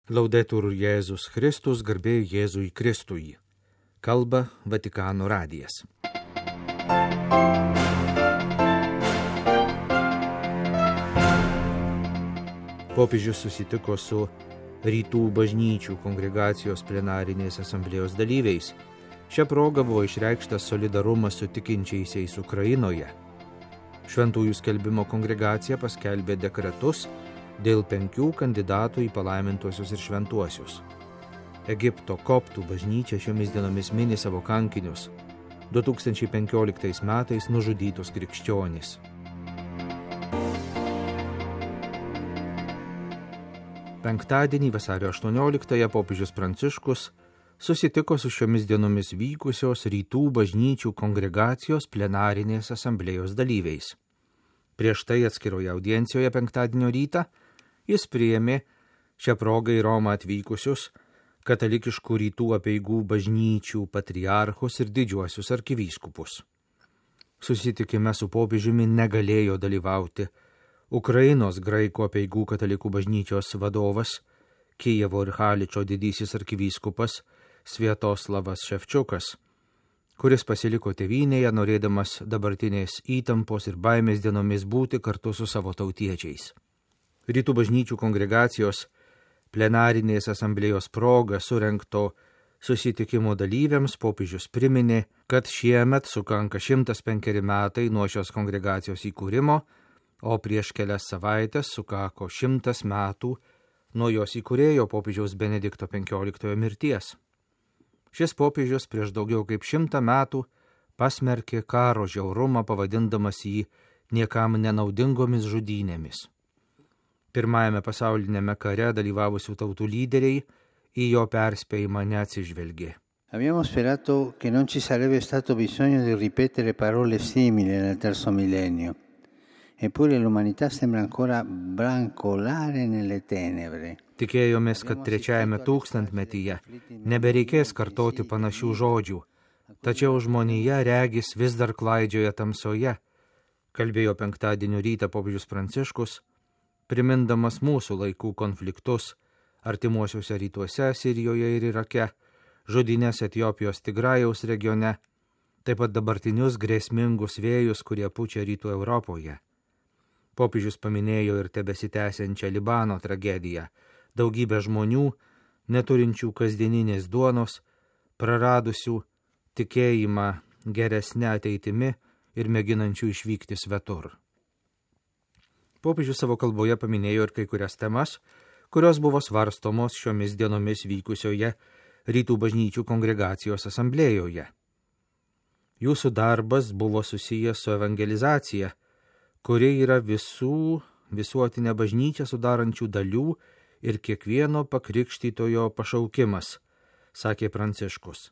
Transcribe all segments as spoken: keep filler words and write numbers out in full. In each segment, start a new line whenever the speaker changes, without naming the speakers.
Laudetur Jėzus Kristus, garbė Jėzui Kristui. Kalba Vatikano radijas. Popiežius susitiko su Rytų bažnyčių kongregacijos plenarinės asamblėjos dalyviais. Šia proga buvo išreikštas solidarumas su tikinčiaisiais Ukrainoje. Šventųjų skelbimo kongregacija paskelbė dekretus dėl penkių kandidatų į palaimintuosius ir šventuosius. Egipto koptų bažnyčia šiomis dienomis mini savo kankinius, du tūkstančiai penkioliktais metais nužudytus krikščionys. Penktadienį vasario aštuonioliktąją popiežius Pranciškus susitiko su šiomis dienomis vykusios Rytų bažnyčių kongregacijos plenarinės asamblėjos dalyviais. Prieš tai atskiroje audiencijoje penktadienio rytą jis priėmė šią progą į Romą atvykusius katalikiškų rytų apeigų bažnyčių patriarchus ir didžiuosius arkivyskupus. Susitikime su popiežiumi negalėjo dalyvauti Ukrainos graikų apeigų katalikų bažnyčios vadovas, Kijevo ir Haličo didysis arkivyskupas Sviatoslavas Ševčiukas, kuris pasiliko tėvynėje, norėdamas dabartinės įtampos ir baimės dienomis būti kartu su savo tautiečiais. Rytų bažnyčių kongregacijos plenarinės asamblėjos proga surengto susitikimo dalyviams popiežius priminė, kad šiemet sukanka šimtas penkeri metai nuo šios kongregacijos įkūrimo, o prieš kelias savaitės sukako šimtas metų nuo jos įkūrėjo popiežiaus Benedikto penkioliktojo mirties. Šis popiežius prieš daugiau kaip šimtą metų pasmerkė karo žiaurumą, pavadindamas jį niekam nenaudingomis žudynėmis. Pirmajame pasaulinėme kare dalyvavusių tautų lyderiai į jo perspėjimą neatsižvelgė.
Abbiamo sperato che non ci sarebbe stato bisogno di ripetere parole simili nel terzo millennio. Eppure l'umanità sembra ancora brancolare nelle tenebre.
Tikėjomės, kad trečiajame tūkstantmetyje nebereikės kartoti panašių žodžių, tačiau žmonija regis vis dar klaidžioja tamsoje, kalbėjo penktadienio rytą popiežius Pranciškus, primindamas mūsų laikų konfliktus artimuosiuose rytuose, Sirijoje ir Irake, žudynės Etiopijos Tigrajaus regione, taip pat dabartinius grėsmingus vėjus, kurie pučia rytų Europoje. Popiežius paminėjo ir tebesitęsiančią Libano tragediją, daugybę žmonių, neturinčių kasdieninės duonos, praradusių tikėjimą geresnę ateitimi ir mėginančių išvykti svetur. Popiežius savo kalboje paminėjo ir kai kurias temas, kurios buvo svarstomos šiomis dienomis vykusioje Rytų bažnyčių kongregacijos asamblėjoje. Jūsų darbas buvo susijęs su evangelizacija, kuri yra visų visuotinę bažnyčią sudarančių dalių ir kiekvieno pakrikštytojo pašaukimas, sakė Pranciškus.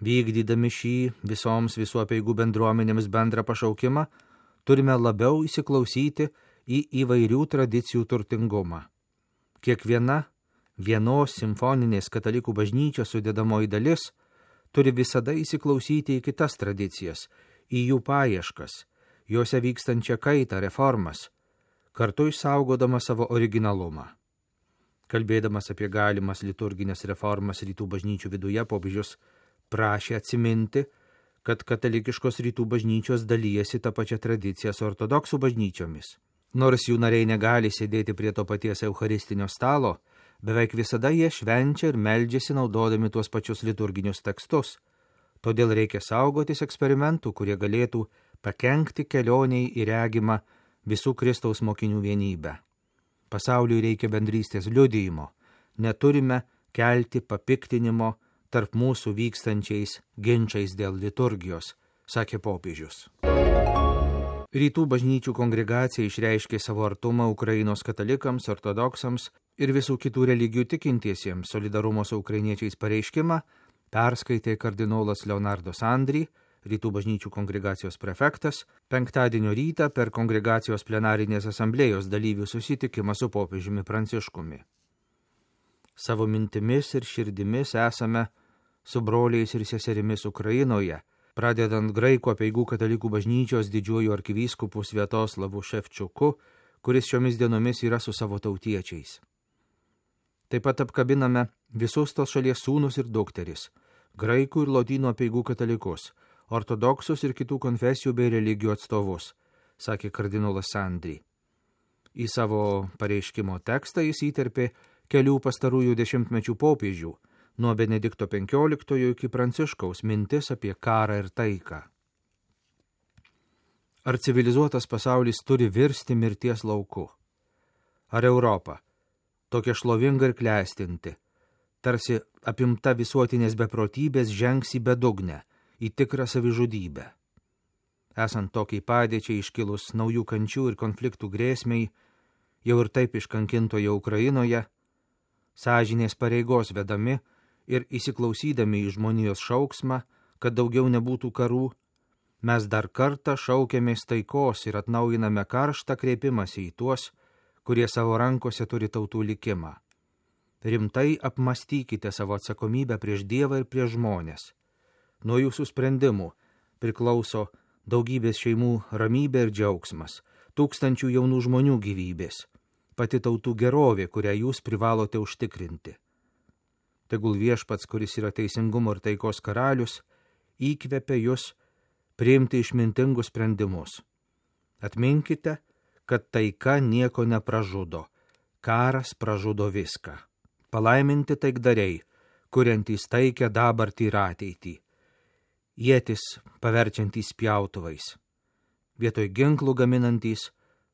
Vykdydami šį visoms visų apeigų bendruomenėms bendrą pašaukimą, turime labiau įsiklausyti į įvairių tradicijų turtingumą. Kiekviena vienos simfoninės katalikų bažnyčios sudedamoji dalis turi visada įsiklausyti į kitas tradicijas, į jų paieškas, juose vykstančią kaitą, reformas, kartu išsaugodama savo originalumą. Kalbėdamas apie galimas liturginės reformas rytų bažnyčių viduje, popiežius prašė atsiminti, kad katalikiškos rytų bažnyčios dalyjasi tą pačią tradiciją su ortodoksų bažnyčiomis. Nors jų nariai negali sėdėti prie to paties eucharistinio stalo, beveik visada jie švenčia ir meldžiasi naudodami tuos pačius liturginius tekstus. Todėl reikia saugotis eksperimentų, kurie galėtų pakenkti kelioniai į regimą visų Kristaus mokinių vienybę. Pasauliui reikia bendrystės liudijimo, neturime kelti papiktinimo tarp mūsų vykstančiais ginčiais dėl liturgijos, sakė popiežius. Rytų bažnyčių kongregacija išreiškė savo artumą Ukrainos katalikams, ortodoksams ir visų kitų religijų tikintiesiems. Solidarumo su ukrainiečiais pareiškimą perskaitė kardinolas Leonardo Sandri, Rytų bažnyčių kongregacijos prefektas, penktadienio rytą per kongregacijos plenarinės asamblėjos dalyvių susitikimą su popiežiumi Pranciškumi. Savo mintimis ir širdimis esame su broliais ir seserimis Ukrainoje, pradedant graikų apeigų katalikų bažnyčios didžiuoju arkivyskupu Sviatoslavu Ševčiuku, kuris šiomis dienomis yra su savo tautiečiais. Taip pat apkabiname visus tos šalies sūnus ir dukteris, graikų ir lotynų apeigų katalikus, ortodoksus ir kitų konfesijų bei religijų atstovus, sakė kardinolas Sandri. Į savo pareiškimo tekstą jis įterpė kelių pastarųjų dešimtmečių popiežių, nuo Benedikto penkioliktojo iki Pranciškaus mintis apie karą ir taiką. Ar civilizuotas pasaulis turi virsti mirties lauku? Ar Europa, tokia šlovinga ir klestinti, tarsi apimta visuotinės beprotybės, žengs į bedugnę, į tikrą savižudybę? Esant tokiai padėčiai iškilus naujų kančių ir konfliktų grėsmiai, jau ir taip iškankintoje Ukrainoje, sąžinės pareigos vedami ir įsiklausydami į žmonijos šauksmą, kad daugiau nebūtų karų, mes dar kartą šaukiamės taikos ir atnaujiname karštą kreipimąsi į tuos, kurie savo rankose turi tautų likimą. Rimtai apmastykite savo atsakomybę prieš Dievą ir prieš žmonės. Nuo jūsų sprendimų priklauso daugybės šeimų ramybė ir džiaugsmas, tūkstančių jaunų žmonių gyvybės, pati tautų gerovė, kurią jūs privalote užtikrinti. Tegul Viešpats, kuris yra teisingumo ir taikos karalius, įkvepia jūs priimti išmintingus sprendimus. Atminkite, kad taika nieko nepražudo, karas pražudo viską. Palaiminti taikdariai, kuriantys taikę dabartį ir ateitį, ietis paverčiantys pjautuvais, vietoj ginklų gaminantys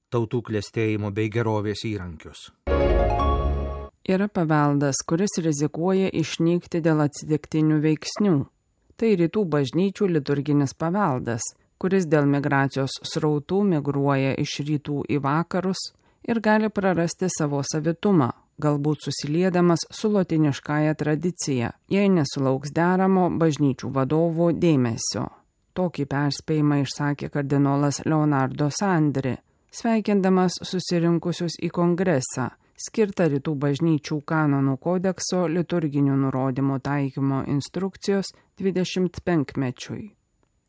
tautų klestėjimo bei gerovės įrankius.
Yra paveldas, kuris rizikuoja išnykti dėl atsitiktinių veiksnių. Tai rytų bažnyčių liturginis paveldas, kuris dėl migracijos srautų migruoja iš rytų į vakarus ir gali prarasti savo savitumą, galbūt susiliedamas su lotiniškąja tradicija, jei nesulauks deramo bažnyčių vadovų dėmesio. Tokį perspėjimą išsakė kardinolas Leonardo Sandri, sveikindamas susirinkusius į kongresą, skirtą rytų bažnyčių kanonų kodekso liturginių nurodymų taikymo instrukcijos dvidešimt penkmečiui.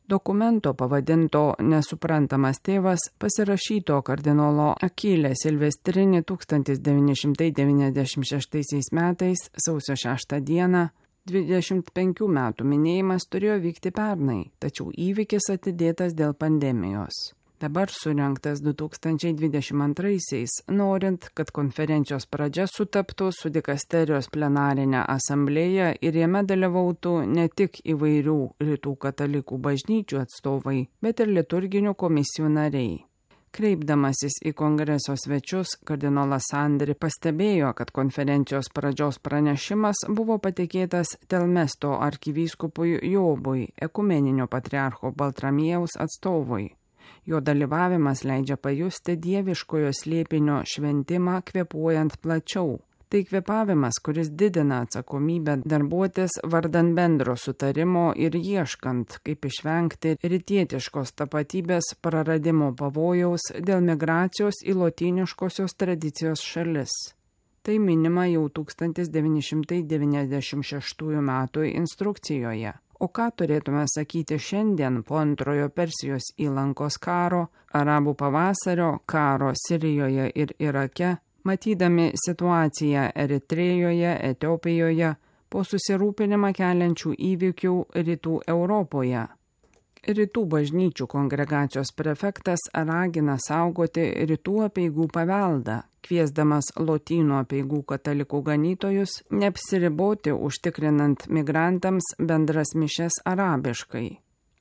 Dokumento pavadinto Nesuprantamas tėvas pasirašyto kardinolo Akilė Silvestrini tūkstantis devyni šimtai devyniasdešimt šeštaisiais metais sausio šeštą dieną, dvidešimt penkių metų minėjimas turėjo vykti pernai, tačiau įvykis atidėtas dėl pandemijos. Dabar surengtas du tūkstančiai dvidešimt antraisiais, norint, kad konferencijos pradžia sutaptų su dikasterijos plenarinė asamblėja ir jame dalyvautų ne tik įvairių rytų katalikų bažnyčių atstovai, bet ir liturginių komisijų nariai. Kreipdamasis į kongreso svečius, kardinolas Sandri pastebėjo, kad konferencijos pradžios pranešimas buvo patikėtas Telmesto arkivyskupui Jobui, ekumeninio patriarcho Baltramiejaus atstovui. Jo dalyvavimas leidžia pajusti dieviškojo slėpinio šventimą kvėpuojant plačiau. Tai kvėpavimas, kuris didina atsakomybę darbuotis vardan bendro sutarimo ir ieškant, kaip išvengti rytietiškos tapatybės praradimo pavojaus dėl migracijos į lotyniškosios tradicijos šalis. Tai minima jau tūkstantis devyni šimtai devyniasdešimt šeštųjų metų instrukcijoje. O ką turėtume sakyti šiandien po antrojo Persijos įlankos karo, arabų pavasario, karo Sirijoje ir Irake, matydami situaciją Eritrėjoje, Etiopijoje, po susirūpinimą keliančių įvykių rytų Europoje? Rytų bažnyčių kongregacijos prefektas ragina saugoti rytų apeigų paveldą, kviesdamas lotynų apeigų katalikų ganytojus neapsiriboti užtikrinant migrantams bendras mišias arabiškai.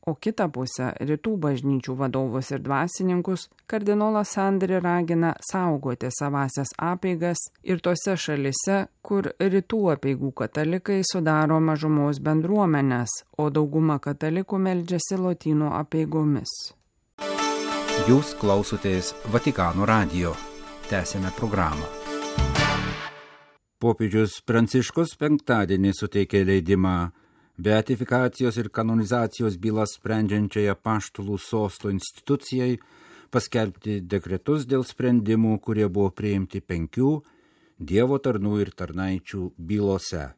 O kitą pusę rytų bažnyčių vadovus ir dvasininkus kardinolas Sandri ragina saugoti savasias apeigas ir tose šalise, kur rytų apeigų katalikai sudaro mažumos bendruomenės, o dauguma katalikų meldžiasi lotynų apeigomis.
Jūs klausotės Vatikano radijo. Tęsėme programą. Popiežius Pranciškus penktadienį suteikė leidimą beatifikacijos ir kanonizacijos bylas sprendžiančiai Apaštalų sosto institucijai paskelbti dekretus dėl sprendimų, kurie buvo priimti penkių Dievo tarnų ir tarnaičių bylose.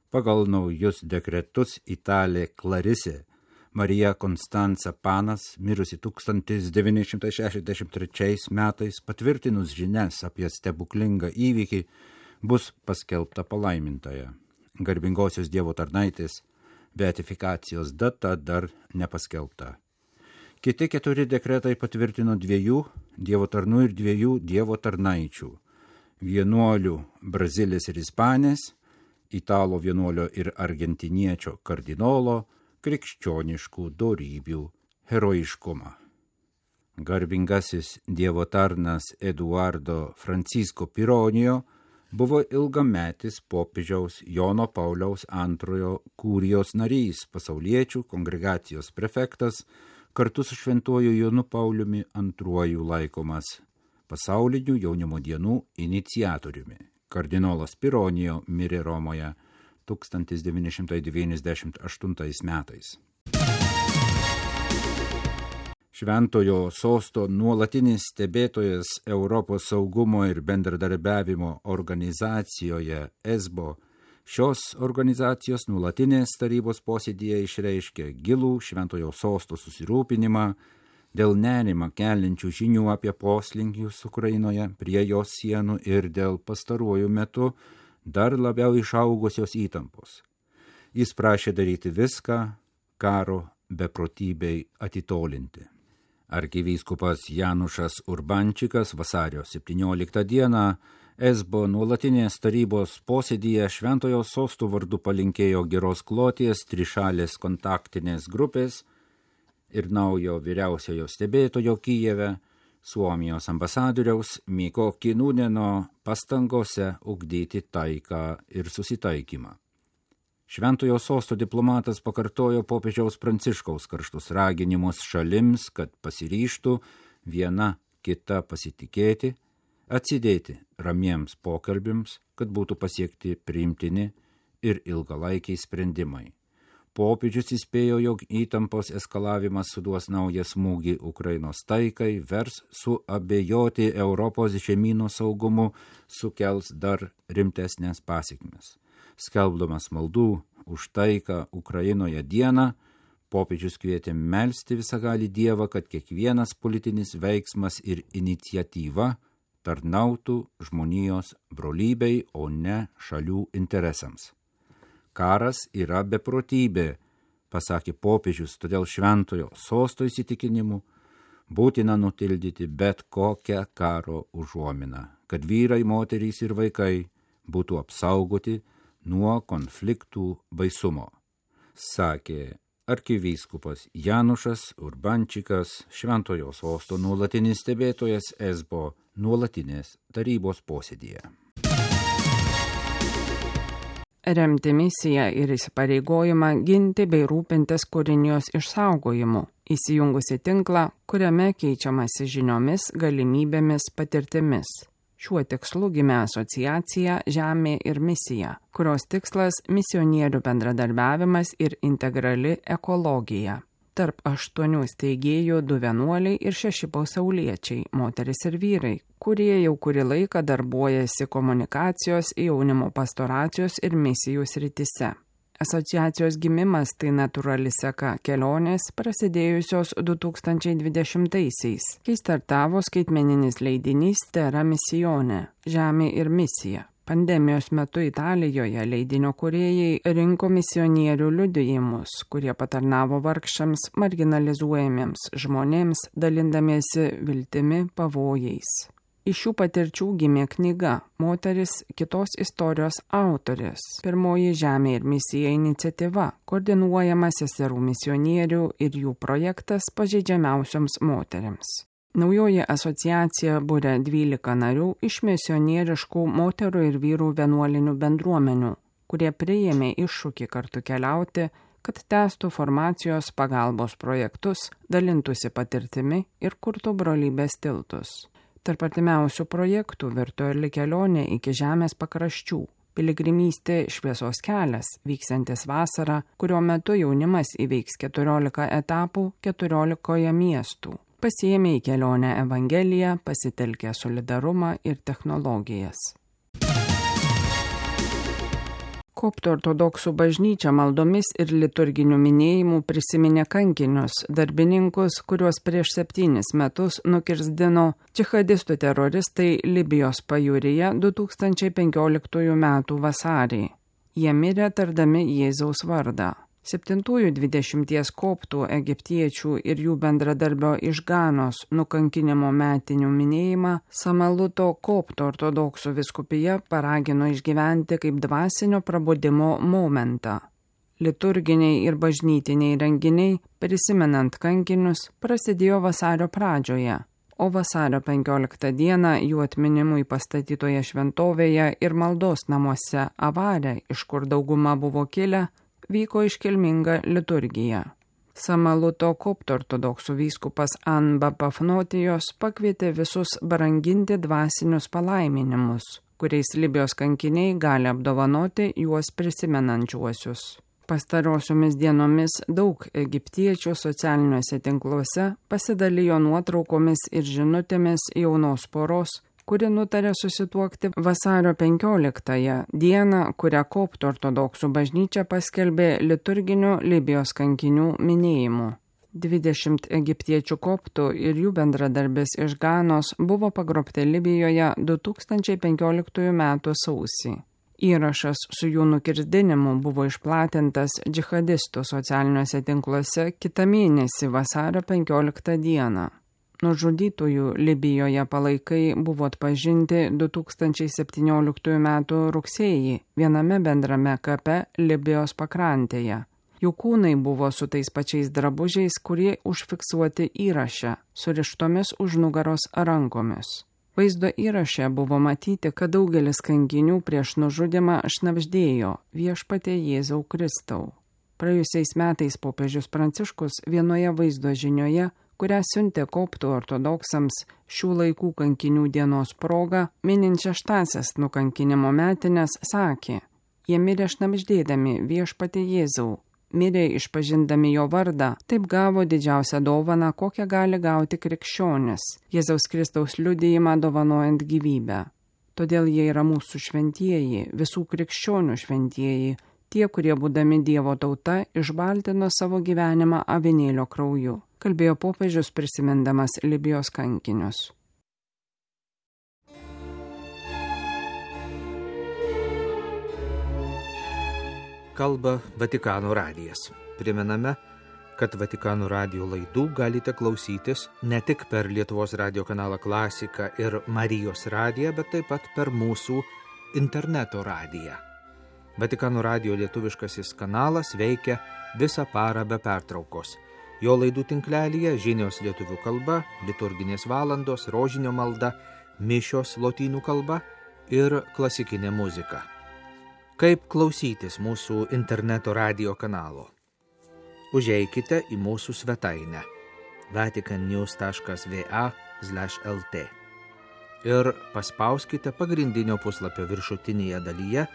Pagal naujus dekretus Italė Klarisė Marija Konstanca Panas, mirusi tūkstantis devyni šimtai šešiasdešimt trečiais metais, patvirtinus žinias apie stebuklingą įvykį, bus paskelbta palaimintaja. Garbingosios Dievo tarnaitės beatifikacijos data dar nepaskelbta. Kiti keturi dekretai patvirtino dviejų Dievo tarnų ir dviejų Dievo tarnaičių – vienuolių Brazilis ir Ispanės, Italo vienuolio ir argentiniečio kardinolo krikščioniškų dorybių herojiškumą. Garbingasis Dievo tarnas Eduardo Francisco Pironijo buvo ilgametis popiežiaus Jono Pauliaus antrojo kūrijos narys, pasauliečių kongregacijos prefektas, kartu su šventuoju Jonu Pauliumi antruoju laikomas pasaulinių jaunimo dienų iniciatoriumi. Kardinolas Pironijo mirė Romoje tūkstantis devyni šimtai devyniasdešimt aštuntais metais. Šventojo sosto nuolatinis stebėtojas Europos saugumo ir bendradarbiavimo organizacijoje E S B O šios organizacijos nuolatinės tarybos posėdyje išreiškė gilų Šventojo sosto susirūpinimą dėl nerimą keliančių žinių apie poslinkius Ukrainoje prie jos sienų ir dėl pastaruoju metu dar labiau išaugusios įtampos. Jis prašė daryti viską karo beprotybei atitolinti. Arkivyskupas Janušas Urbančikas vasario septynioliktą dieną E S B O nuolatinės tarybos posėdyje Šventojo sosto vardu palinkėjo geros kloties trišalės kontaktinės grupės ir naujo vyriausiojo stebėtojo Kijeve, Suomijos ambasadoriaus Miko Kinuneno pastangose ugdyti taiką ir susitaikymą. Šventojo sosto diplomatas pakartojo popiežiaus Pranciškaus karštus raginimus šalims, kad pasiryžtų viena kita pasitikėti, atsidėti ramiems pokalbiams, kad būtų pasiekti priimtini ir ilgalaikiai sprendimai. Popiežius įspėjo, jog įtampos eskalavimas suduos naują smūgį Ukrainos taikai, vers suabejoti Europos žemyno saugumu, sukels dar rimtesnės pasekmes. Skelbdamas maldų už taiką Ukrainoje dieną, popiežius kvietė melsti visagalį Dievą, kad kiekvienas politinis veiksmas ir iniciatyva tarnautų žmonijos brolybei, o ne šalių interesams. Karas yra beprotybė, pasakė popiežius, todėl šventojo sosto įsitikinimu būtina nutildyti bet kokią karo užuominą, kad vyrai, moterys ir vaikai būtų apsaugoti nuo konfliktų baisumo, sakė arkivyskupas Janušas Urbančikas, Šventojo sosto nuolatinis stebėtojas E S B O nuolatinės tarybos posėdyje.
Remti misiją ir įsipareigojimą ginti bei rūpintis kūrinijos išsaugojimu, įsijungusi tinklą, kuriame keičiamasi žiniomis, galimybėmis, patirtimis. Šiuo tikslu gimė asociacija Žemė ir misija, kurios tikslas misionierių bendradarbiavimas ir integrali ekologija. Tarp aštuonių steigėjų du vienuoliai ir šeši pasauliečiai, moteris ir vyrai, kurie jau kurį laiką darbuojasi komunikacijos, jaunimo pastoracijos ir misijų srityse. Asociacijos gimimas tai natūrali seka kelionės prasidėjusios du tūkstančiai dvidešimtaisiais, kai startavo skaitmeninis leidinys Terra Missione – Žemė ir misija. Pandemijos metu Italijoje leidinio kūrėjai rinko misionierių liudijimus, kurie patarnavo vargšams, marginalizuojamiems žmonėms, dalindamiesi viltimi pavojais. Iš šių patirčių gimė knyga Moteris kitos istorijos autorės. Pirmoji Žemė ir misija iniciatyva, koordinuojama seserų misionierių ir jų projektas pažeidžiamiausioms moterims. Naujoji asociacija būrė dvylika narių iš misionieriškų moterų ir vyrų vienuolinių bendruomenių, kurie priėmė iššūkį kartu keliauti, kad tęstų formacijos pagalbos projektus, dalintųsi patirtimi ir kurtų brolybės tiltus. Tarp artimiausių projektų virtuali kelionė iki žemės pakraščių, piligrimystė šviesos kelias, vyksiantis vasarą, kurio metu jaunimas įveiks keturiolika etapų keturiolikoje miestų. Pasiėmė į kelionę Evangeliją, pasitelkė solidarumą ir technologijas. Koptų ortodoksų bažnyčia maldomis ir liturginių minėjimų prisiminė kankinius, darbininkus, kuriuos prieš septynis metus nukirzdino džihadistų teroristai Libijos pajūryje du tūkstančiai penkioliktųjų metų vasarį. Jie mirė tardami Jėzaus vardą. Septintųjų dvidešimties koptų egiptiečių ir jų bendradarbio iš Ganos nukankinimo metinių minėjimą Samaluto koptų ortodoksų vyskupija paragino išgyventi kaip dvasinio prabudimo momentą. Liturginiai ir bažnytiniai renginiai, prisimenant kankinius, prasidėjo vasario pradžioje, o vasario penkioliktą dieną jų atminimui pastatytoje šventovėje ir maldos namuose Avare, iš kur dauguma buvo kilę, vyko iškilminga liturgija. Samaluto koptų ortodoksų vyskupas Anba Pafnotijos pakvietė visus branginti dvasinius palaiminimus, kuriais Libijos kankiniai gali apdovanoti juos prisimenančiuosius. Pastarosiomis dienomis daug egiptiečių socialiniuose tinkluose pasidalijo nuotraukomis ir žinutėmis jaunos poros, kuri nutarė susituokti vasario penkioliktąją dieną, kurią koptų ortodoksų bažnyčia paskelbė liturginiu Libijos kankinių minėjimu. Dvidešimt egiptiečių koptų ir jų bendradarbis iš Ganos buvo pagrobti Libijoje du tūkstančiai penkioliktųjų metų sausį. Įrašas su jų nukirzdinimu buvo išplatintas džihadistų socialiniuose tinkluose kitą mėnesį vasario penkioliktą dieną. Nužudytųjų Libijoje palaikai buvo atpažinti du tūkstančiai septynioliktųjų metų rugsėjį viename bendrame kape Libijos pakrantėje. Jų kūnai buvo su tais pačiais drabužiais, kurie užfiksuoti įraše, surištomis už nugaros rankomis. Vaizdo įraše buvo matyti, kad daugelis kankinių prieš nužudimą šnabždėjo Viešpatie Jėzau Kristau. Praėjusiais metais popiežius Pranciškus vienoje vaizdo žinioje, kurią siuntė koptų ortodoksams šių laikų kankinių dienos proga, minint šeštąsias nukankinimo metines, sakė: jie mirė šnabždėdami Viešpatie Jėzau, mirė išpažindami jo vardą, taip gavo didžiausią dovaną, kokią gali gauti krikščionis, Jėzaus Kristaus liudijimą dovanojant gyvybę. Todėl jie yra mūsų šventieji, visų krikščionių šventieji, tie, kurie būdami Dievo tauta išbaltino savo gyvenimą avinėlio krauju, kalbėjo popiežius prisimindamas Libijos kankinius.
Kalba Vatikano radijas. Primename, kad Vatikano radijo laidų galite klausytis ne tik per Lietuvos radijo kanalą Klasika ir Marijos radiją, bet taip pat per mūsų interneto radiją. Vatikano radijo lietuviškasis kanalas veikia visą parą be pertraukos. Jo laidų tinklelyje žinios lietuvių kalba, liturginės valandos, rožinio malda, mišios lotynų kalba ir klasikinė muzika. Kaip klausytis mūsų interneto radijo kanalo? Užeikite į mūsų svetainę vaticannews taškas va slash lt ir paspauskite pagrindinio puslapio viršutinėje dalyje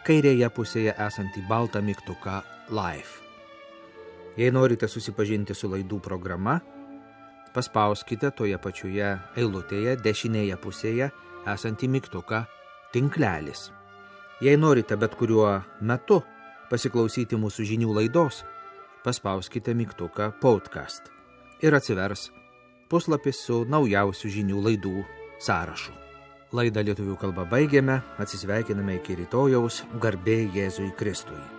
kairėje pusėje esantį baltą mygtuką Live. Jei norite susipažinti su laidų programa, paspauskite toje pačioje eilutėje dešinėje pusėje esantį mygtuką Tinklelis. Jei norite bet kuriuo metu pasiklausyti mūsų žinių laidos, paspauskite mygtuką Podcast ir atsivers puslapis su naujausių žinių laidų sąrašu. Laidą lietuvių kalba baigėme, atsisveikiname iki rytojaus, garbė Jėzui Kristui.